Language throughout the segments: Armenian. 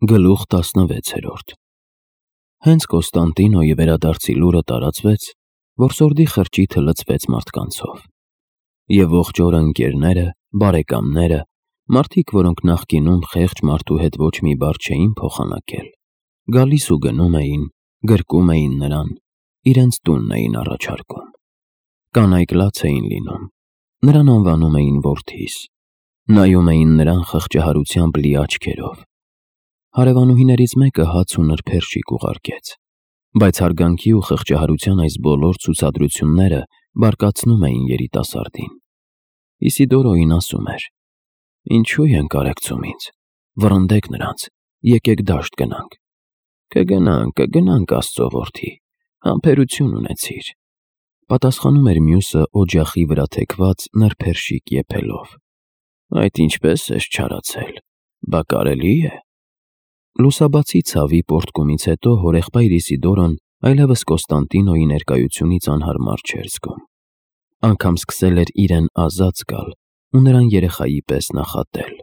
Գլուխ 16 Հենց Կոստանդինոյի վերադարձի լուրը տարածվեց, որ սորդի խրճիթը լցվեց մարդկանցով։ Եվ ողջ օրը ընկերները, բարեկամները, մարդիկ, որոնք նախկինում խեղճ մարդու հետ ոչ մի բառ չէին փոխանակել, գալիս ու գնում էին, գրկում էին նրան, իրենց տունն էին առաջարկում։ Կանայք լաց էին լինում, նրան անվանում էին որդիս, նայում էին նրան խղճահարությամբ լի աչքերով։ Հարևանուհիներից մեկը հաց ու նրբերշիկ ուղարկեց, բայց հարգանքի ու խղճահարության այս բոլոր ցուցադրությունները բարկացնում էին երիտասարդին։ Իսիդորոյին ասում էր. «Ինչու ենք կարեկցում ինձ, վռնդեք նրանց, եկեք դաշտ գնանք»։ Կգնանք Աստծո որդի, համբերություն ունեցիր, պատասխանում էր մյուսը օջախի վրա թեքված նրբերշիկ եփելով։ Այդ ինչպես ես չարացել, բա կարելի է։ Լուսաբացի ցավի պոռթկումից հետո հորեղբայր Իսիդորոն այլևս Կոստանդինոյի ներկայությունից անհարմար չէր զգում։ Անգամ սկսել էր իրեն ազատ զգալ ու նրան երեխայի պես նախատել։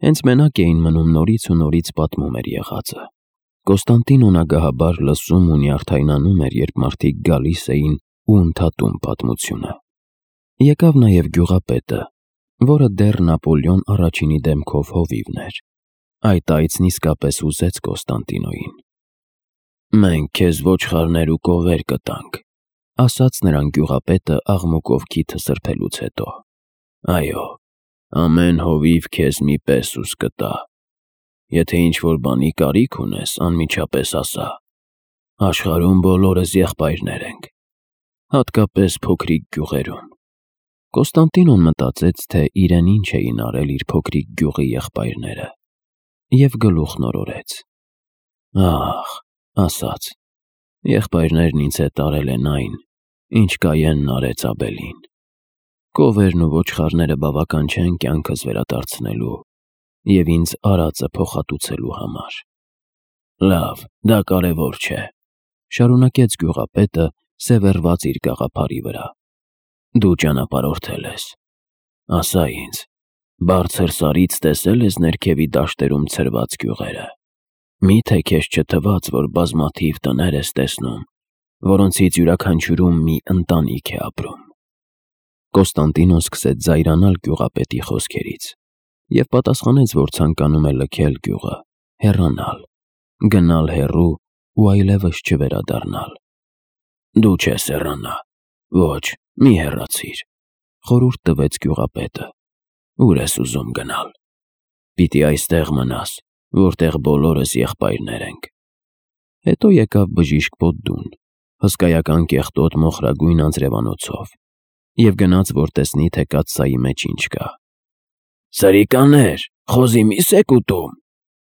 Հենց մենակ էին մնում նորից ու նորից պատմում էր եղածը։ Կոստանդինոն ագահաբար լսում ու նյարդայնանում էր, երբ մարդիկ գալիս էին ու ընդհատում պատմությունը։ Եկավ նաև գյուղապետը, որը դեռ Նապոլեոն առաջինի դեմքով հովիվն էր։ Այդ այցն իսկապես ուզեց Կոստանդինոյին։ «Մենք քեզ ոչխարներ ու կովեր կտանք», ասաց նրան գյուղապետը աղմուկով քիթը սրբելուց հետո։ «Այո, ամեն հովիվ քեզ մի պեսուս կտա։ Եթե ինչ-որ բանի կարիք ունես, անմիջապես ասա։ Աշխարհում բոլորս եղբայրներ ենք, հատկապես փոքրիկ գյուղերում»։ Կոստանդինոն մտածեց, թե իրեն ինչ էին արել իր փոքրիկ գյուղի եղբայրները, և գլուխ նորորեց։ «Ահ», ասաց, «եղբայրներն ինձ հետ արել են այն, ինչ Կայենն արեց Աբելին։ Կովերն ու ոչխարները բավական չեն կյանքս վերադարձնելու և ինձ արածը փոխհատուցելու համար»։ «Լավ, դա կարևոր չէ», շարունակեց գյուղապետը, սևեռված իր գաղափարի վրա։ «Դու ճանապարհորդել ես։ Ասա ինձ, բարձր սարից տեսել ես ներքևի դաշտերում ցրված գյուղերը։ Մի՞թե քեզ չթվաց, որ բազմաթիվ տներ ես տեսնում, որոնցից յուրաքանչյուրում մի ընտանիք է ապրում»։ Կոստանդինոն սկսեց զայրանալ գյուղապետի խոսքերից և պատասխանեց, որ ցանկանում է լքել գյուղը, հեռանալ, գնալ հեռու ու այլևս չվերադառնալ։ «Դու չես հեռանա, ոչ, մի հեռացիր», խորհուրդ տվեց գյուղապետը։ «Ուր ես ուզում գնալ։ Պիտի այստեղ մնաս, որտեղ բոլորս եղբայրներ ենք»։ Հետո եկավ բժիշկ Պոդդուն, հսկայական կեղտոտ մոխրագույն անձրևանոցով, և գնաց, որ տեսնի, թե կաթսայի մեջ ինչ կա։ «Սրիկաներ, խոզի միս եք ուտում»,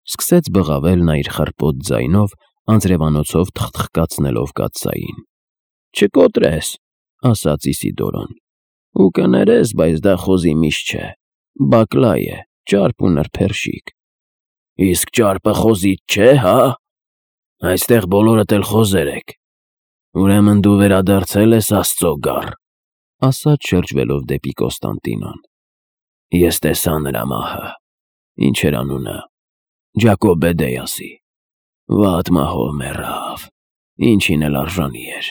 սկսեց բղավել նա իր խռպոտ ձայնով, անձրևանոցով թխթխկացնելով կաթսային։ «Չկոտրես», ասաց Իսիդորոն։ «Ու կներես, բայց դա խոզի միս չէ, բակլա է, ճարպ ու նրբերշիկ»։ «Իսկ ճարպը խոզից չէ, հա։ Այստեղ բոլորդ էլ խոզեր եք։ Ուրեմն դու վերադարձել ես Աստծո գառ», ասաց շրջվելով դեպի Կոստանդինոն։ «Ես տեսա նրա մահը։ Ինչ էր անունը։ Ջակոբեդեասի։ Վատ մահով մեռավ, ինչին էլ արժանի էր։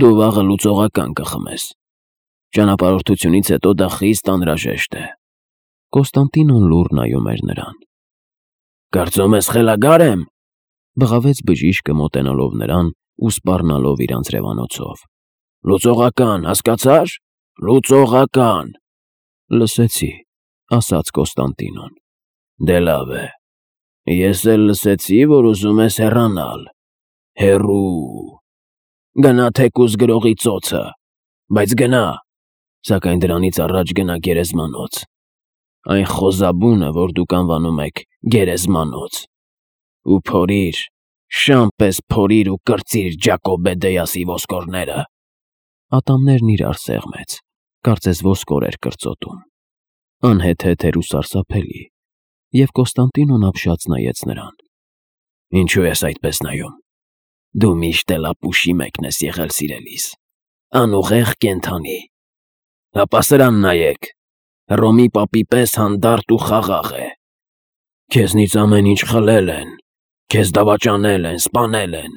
Դու վաղը լուծողական կխմես։ Ճանապարհորդությունից հետո դա խիստ անհրաժեշտ է»։ Կոստանդինոն լուռ նայում էր նրան։ «Կարծում ես խելագար եմ», բղավեց բժիշկը մոտենալով նրան ու սպառնալով իր անձրևանոցով։ «Լուծողական, հասկացա՞ր, լուծողական»։ «Լսեցի», ասաց Կոստանդինոն։ «Դե լավ է։ Ես էլ լսեցի, որ ուզում ես հեռանալ, հեռու։ Գնա թեկուզ գրողի ծոցը, բայց գնա, սակայն դրանից առաջ գնա գերեզմանոց, այն խոզաբունը, որ դուք անվանում եք գերեզմանոց, ու փորիր, շան պես փորիր ու կրծիր Ջակոբեդեասի ոսկորները»։ Ատամներն իրար սեղմեց, կարծես ոսկոր էր կրծոտում։ Անհեթեթ էր ու սարսափելի, և Կոստանդինոն ապշած նայեց նրան։ «Ինչու ես այդպես նայում։ Դու միշտ էլ ապուշի մեկն ես եղել սիրելիս, անուղեղ կենդանի։ Հապա սրան նայեք, Հռոմի պապի պես հանդարտ ու խաղաղ է։ Քեզնից ամեն ինչ խլել են, քեզ դավաճանել են, սպանել են,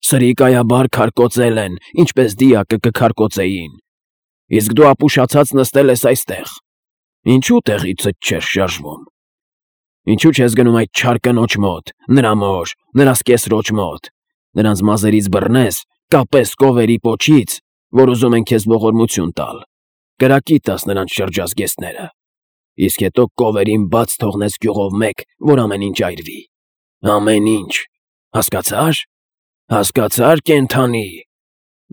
սրիկայաբար քարկոծել են, ինչպես դիակը կքարկոծեին, իսկ դու ապուշացած նստել ես այստեղ, ինչու տեղիցդ չես շարժվում, ինչու չես գնում այդ չար կնոջ մոտ, նրա մոր, նրա սկեսրոջ մոտ, նրանց մազերից բռնես, կապես կովերի պոչից, որ ուզում են քեզ ողորմություն տալ, կրակի տաս նրանց շրջազգեստները, իսկ հետո կովերին բաց թողնես գյուղով մեկ, որ ամեն ինչ այրվի, ամեն ինչ, հասկացա՞ր, կենդանի,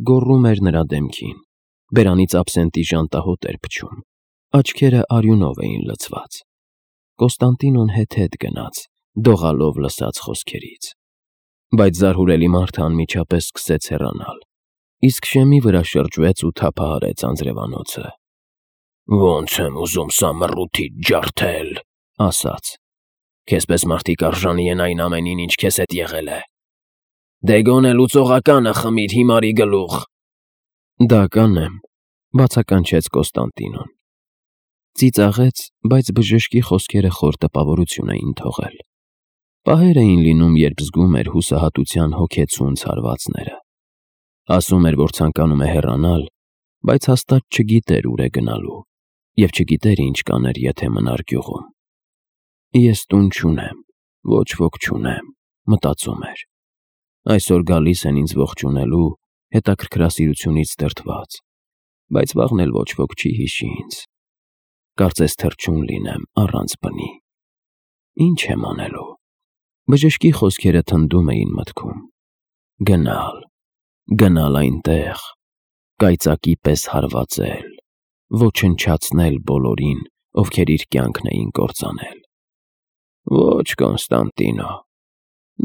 գոռում էր նրա դեմքին, բերանից աբսենտի ժանտահոտ էր փչում, աչքերը արյունով էին լցված, Կոստանդինոն հետ գնաց, դողալով լսած խոսքերից, բայց զարհուրելի մարդը անմիջապես սկսեց հեռանալ, իսկ շեմի վրա շրջվեց ու թափահարեց անձրևանոցը, ոնց եմ ուզում սա մռութիդ ջարդել, ասաց, քեզպես մարդիկ արժանի են այն ամենին, ինչ քեզ հետ եղել է, դե գոնե լուծողականը խմիր հիմարի գլուխ, դա կանեմ, բացականչեց Կոստանդինոն, ծիծաղեց, բայց բժշկի խոսքերը խոր տպավորություն էին թողել, պահեր էին լինում, երբ զգում էր հուսահատության հոգեցուն ցարվածները, ասում էր, որ ցանկանում է հեռանալ, բայց հաստատ չգիտեր ուր է գնալու, և չգիտեր ինչ կաներ, եթե մնար գյուղում, ես տուն չունեմ, ոչ ոք չունեմ, մտածում էր, այսօր գալիս են ինձ ողջունելու, հետաքրքրասիրությունից դրդված, բայց վաղն էլ ոչ ոք չի հիշի ինձ, կարծես թռչուն լինեմ առանց բնի, ինչ եմ անելու, բժշկի խոսքերը թնդում էին մտքում, գնալ այնտեղ, կայծակի պես հարվածել, ոչնչացնել բոլորին, ովքեր իր կյանքն էին կործանել, ոչ Կոնստանտինո,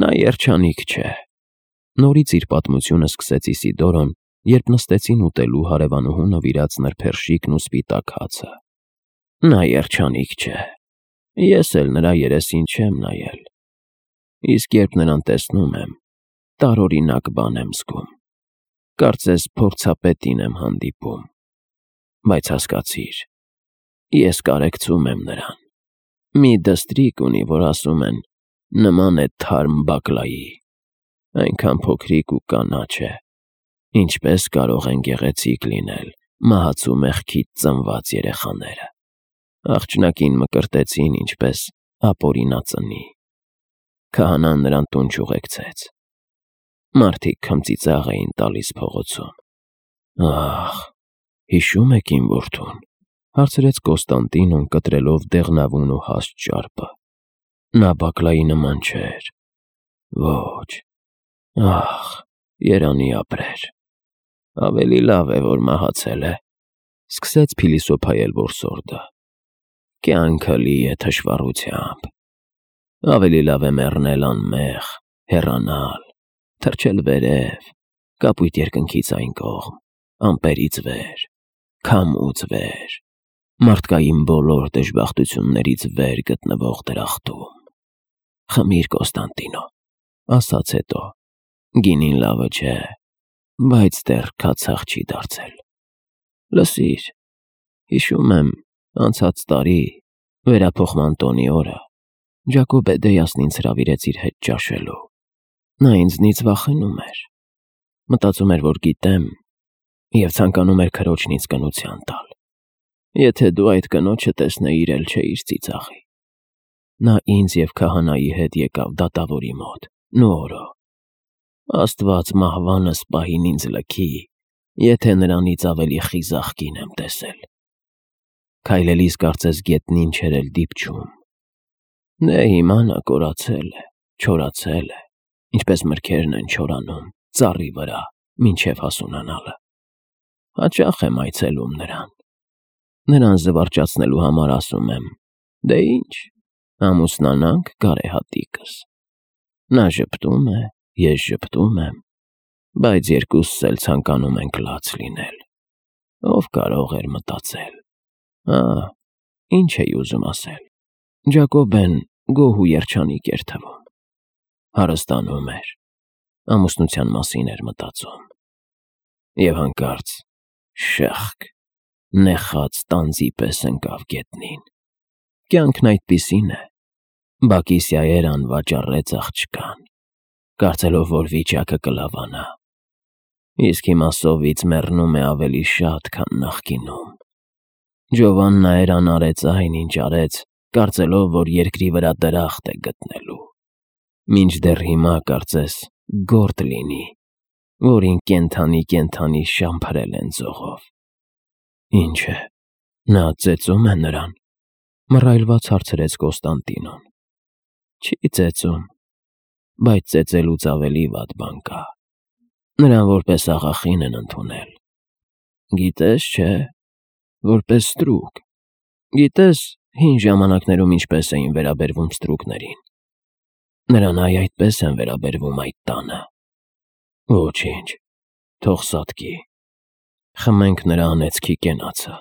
նա երջանիկ չէ, նորից իր պատմությունը սկսեց Իսիդորոն, երբ նստեցին ուտելու հարևանուհու նվիրած նրբերշիկն ու սպիտակ հացը, նա երջանիկ չէ, ես էլ նրա երեսին չեմ նայել, իսկ երբ նրան տեսնում եմ, տարօրինակ բան եմ զգում, կարծես փորձապետին եմ հանդիպում, բայց հասկացիր, ես կարեկցում եմ նրան, մի դստրիկ ունի, որ ասում են, նման է թարմ բակլայի, այնքան փոքրիկ ու կանաչ է, ինչպես կարող են գեղեցիկ լինել մահացու մեղքից ծնված երեխաները, աղջնակին մկրտեցին, ինչպես ապօրինածնի, քահանան նրան տուն չուղեկցեց, մարդիկ քմծիծաղ էին տալիս փողոցում, ահ, հիշում եք իմ որդուն, հարցրեց Կոստանդինոն կտրելով դեղնավուն ու հաստ ճարպը, նա բակլայի նման չէր, ոչ, ահ, երանի ապրեր, ավելի լավ է, որ մահացել է, սկսեց փիլիսոփայել որսորդը, կյանքը լի է թշվառությամբ, ավելի լավ է մեռնել անմեղ, հեռանալ, թռչել վերև, կապույտ երկնքից այն կողմ, ամպերից վեր, քամուց վեր, մարդկային բոլոր դժբախտություններից վեր գտնվող դրախտում, խմիր Կոստանդինո, ասաց հետո, գինին լավը չէ, բայց դեռ քացախ չի դարձել, լսիր, հիշում եմ, անցած տարի, վերափոխման տոնի օրը, Ջակոբեդեյասն ինձ հրավիրեց իր հետ ճաշելու, նա ինձնից վախենում էր, մտածում էր, որ գիտեմ, և ցանկանում էր քրոջն ինձ կնության տալ, եթե դու այդ կնոջը տեսնեիր էլ չէիր ծիծաղի, նա ինձ և քահանայի հետ եկավ դատավորի մոտ, նորո, Աստված մահվանս պահին ինձ լքի, եթե նրանից ավելի խիզախ կին եմ տեսել, քայլելիս կարծես գետնին չէր էլ դիպչում, դե հիմա նա կորացել է, չորացել է, ինչպես մրգերն են չորանում, ծառի վրա, մինչև հասունանալը, հաճախ եմ այցելում նրան զվարճացնելու համար ասում եմ, դե ինչ, ամուսնանանք գարեհատիկս, նա ժպտում է, ես ժպտում եմ, բայց երկուսս էլ ցանկանում ենք լաց լինել, ով կարող էր մտածել, ինչ էի ուզում ասել, Ջակոբեն գոհ ու երջանիկ էր թվում, հարստանում էր, ամուսնության մասին էր մտածում, և հանկարծ շըխկ, նեխած տանձի պես ընկավ գետնին, կյանքն այդպիսին է, Բակիսիայերան վաճառեց աղջկան, կարծելով, որ վիճակը կլավանա, իսկ հիմա սովից մեռնում է ավելի շատ, քան նախկինում։ Ջովաննայերան արեց այն, ինչ արեց, կարծելով, որ երկրի վրա դրախտ է գտնելու, մինչդեռ հիմա կարծես գորտ լինի, որին կենդանի շամփրել են ձողով։ Ինչ է, նա ծեծում է նրան, մռայլված հարցրեց Կոստանդինոն։ Չի ծեծում, բայց ծեծելուց ավելի վատ բան կա։ Նրան որպես աղախին են ընդունել։ Գիտես, չէ, որպես ստրուկ։ Գիտես, հին ժամանակներում ինչպես էին վերաբերվում ստրուկներին։ Նրան այդպես են վերաբերվում այդ տանը։ Ոչինչ, թող սատկի։ Խմենք նրա անեծքի կենացը,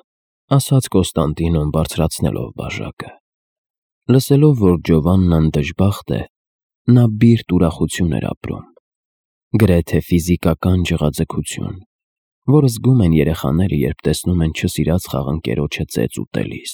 ասաց Կոստանդինոն բարձրացնելով բաժակը։ Լսելով, որ Ջովաննան դժբախտ է, նա բիրտ ուրախություն էր ապրում, գրեթե ֆիզիկական ջղաձգություն, որ զգում են երեխաները, երբ տեսնում են չսիրած խաղընկերոջը ծեծ ուտելիս։